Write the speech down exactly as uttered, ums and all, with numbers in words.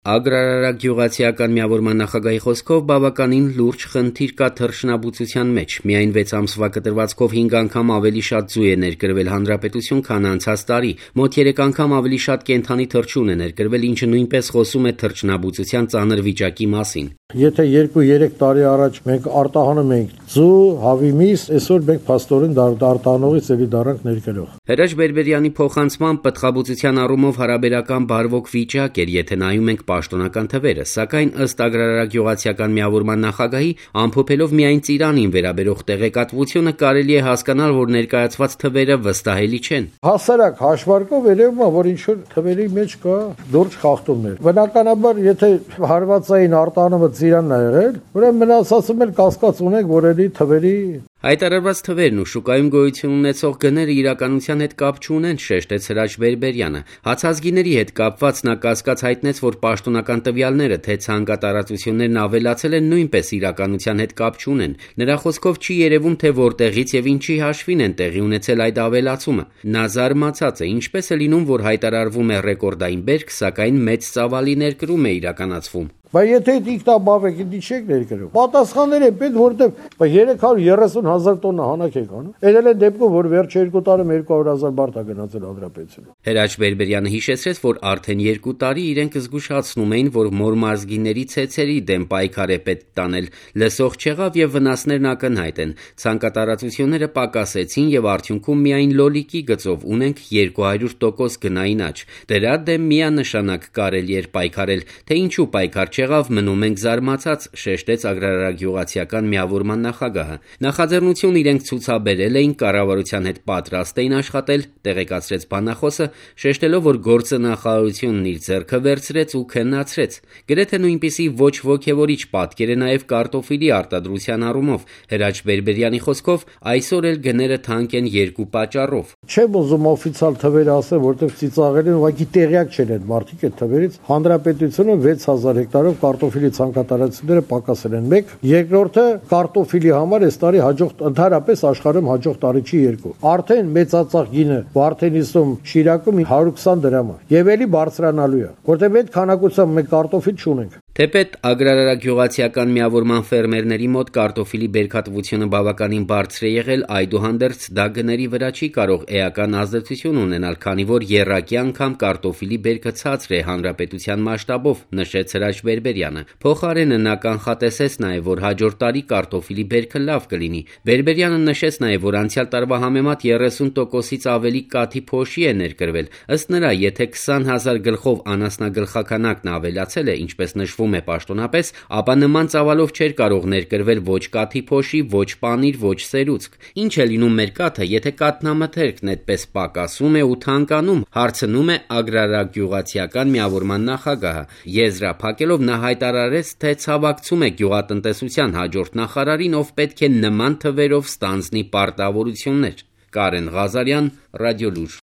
Ագրարարակ գյուղացիական միավորման նախագահի խոսքով բավականին լուրջ խնդիր կա թռչնաբուծության մեջ. միայն վեց ամսվա կտրվածքով հինգ անգամ ավելի շատ ձու է ներկրվել հանրապետություն, քան անցած տարի, մոտ երեք անգամ ավելի շատ կենդանի թռչուն է ներկրվել, ինչը նույնպես խոսում է թռչնաբուծության ծանր վիճակի մասին. Եթե երկու-երեք տարի առաջ մենք արտահանում էինք ձու, հավի միս, այսօր մենք փաստորեն արտահանողից էլի դառանք ներկրող։ Հրաչ Բերբերյանի փոխանցմամբ պտղաբուծության առումով հարաբերական բարվոք վիճակ էր, եթե նայում ենք պաշտոնական թվերը, սակայն ըստ ագրարարակ գյուղացիական միավորման նախագահի, ամփոփելով միայն Ծիրանին վերաբերող տեղեկատվությունը, կարելի է հասկանալ, որ ներկայացված թվերը վստահելի չեն։ Հասարակ հաշվարկով երևում է, որ ինչ-որ թվերի մեջ կա լուրջ խախտումներ։ Բնականաբար, եթե հարվածային արտահանումը Ծիրանն է եղել, ուրեմն մնաց ասում էլ կասկած ունենք, որ էլի թվերի Հայտարարված թվերն ու շուկայում գոյություն ունեցող գները իրականության հետ կապ չունեն, շեշտեց Հրաչ Բերբերյանը։ Հացազգիների հետ կապված նա կասկած հայտնեց, որ պաշտոնական տվյալները, թե ցանկատարածություններն ավելացել են, նույնպես իրականության հետ կապ չունեն։ Նրա խոսքով չի երևում, թե որտեղից եւ ինչի հաշվին են տեղի ունեցել այդ ավելացումը։ Նա զարմացած է, ինչպես է լինում, որ հայտարարվում է ռեկորդային բերք, սակայն մեծ ծավալի ներկրում է իրականացվում։ Բայց եթե ինքնաբավ եք, դի չեք ներկրում։ Պատասխաններ են պետք, որտեղ երեք հարյուր երեսուն հազար տոննա հանակ եք անում։ Էդել են դեպքում, որ վերջի երկու տարում երկու հարյուր հազար բարդ է գնացել հանրապետությունը։ Հրաչ Բերբերյանը հիշեցրեց, որ արդեն երկու տարի իրենք զգուշացնում էին, որ մորմազգիների ցեցերի դեմ պայքար է պետք տանել։ Լսող չեղավ եւ վնասներն ակնհայտ են։ Ցանկատարածությունները պակասեցին եւ արդյունքում միայն լոլիկի գծով ունենք երկու հարյուր տոկոս գնային աճ։ Դրա դեմ միանշանակ կարելի էր պայքարել, թե ինչու պայքար չեղավ, մնում ենք զարմացած, շեշտեց ագրարարակ գյուղացիական միավորման նախագահը։ Նախաձեռնություն իրենք ցուցաբերել էին, կառավարության հետ պատրաստ էին աշխատել, տեղեկացրեց բանախոսը, շեշտելով, որ գործը նախարարությունն իր ձեռքը վերցրեց ու քննացրեց։ Գրեթե նույնպիսի ոչ ոգևորիչ պատկեր է նաև կարտոֆիլի արտադրության առումով։ Հրաչ Բերբերյանի խոսքով այսօր էլ գները թանկ են երկու պատճառով։ Չեմ ուզում օֆիցիալ թվերը ասել, որտեղ ծիծաղել են, ուղղակի տեղյակ չեն այդ մարդիկ այդ թվերից։ Հանրապետությունը վեց հազար հեկտարով կարտոֆիլի ցանկատարածությունները պակասել են։ Մեկ, երկրորդը կարտոֆիլի համար այս տարի հաջող ընդհանրապես աշխարհում հաջող տարի չի երկու։ Արդեն մեծածախ գինը Վարդենիսում, Շիրակում հարյուր քսան դրամ է։ Եվ էլի բարձրանալու է, որտեղ այդ քանակությամբ մենք կարտոֆիլ չունենք։ Թեպետ ագրարարակ գյուղացիական միավորման ֆերմերների մոտ կարտոֆիլի բերքատվությունը բավականին բարձր է եղել, այդուհանդերձ դա գների վրա չի կարող էական ազդեցություն ունենալ, քանի որ եռակի անգամ կարտոֆիլի բերքը ցածր է հանրապետության մասշտաբով, նշեց Հրաչ Բերբերյանը։ Փոխարենը նա կանխատեսեց նաև, որ հաջորդ տարի կարտոֆիլի բերքը լավ կլինի։ Բերբերյանը նշեց նաև, որ անցյալ տարվա համեմատ երեսուն տոկոսից ավելի կաթի փոշի է ներկրվել։ Ըստ նրա, եթե քսան հազար գլխով անասնագլխականակն ավելացել է, ինչպես նշվում է պաշտոնապես, ապա նման ծավալով չէր կարող ներկրվել ոչ կաթի փոշի, ոչ պանիր, ոչ սերուցք։ Ինչ է լինում մեր կաթը, եթե կաթնամթերքն այդպես պակասում է ու թանկանում, հարցնում է ագրարարակ գյուղացիական միավորման նախագահը։ Եզրափակելով նա հայտարարեց, թե ցավակցում է գյուղատնտեսության հաջորդ նախարարին, ով պետք է նման թվերով ստանձնի պարտավորություններ։ Կարեն Ղազարյան, Ռադիոլուր։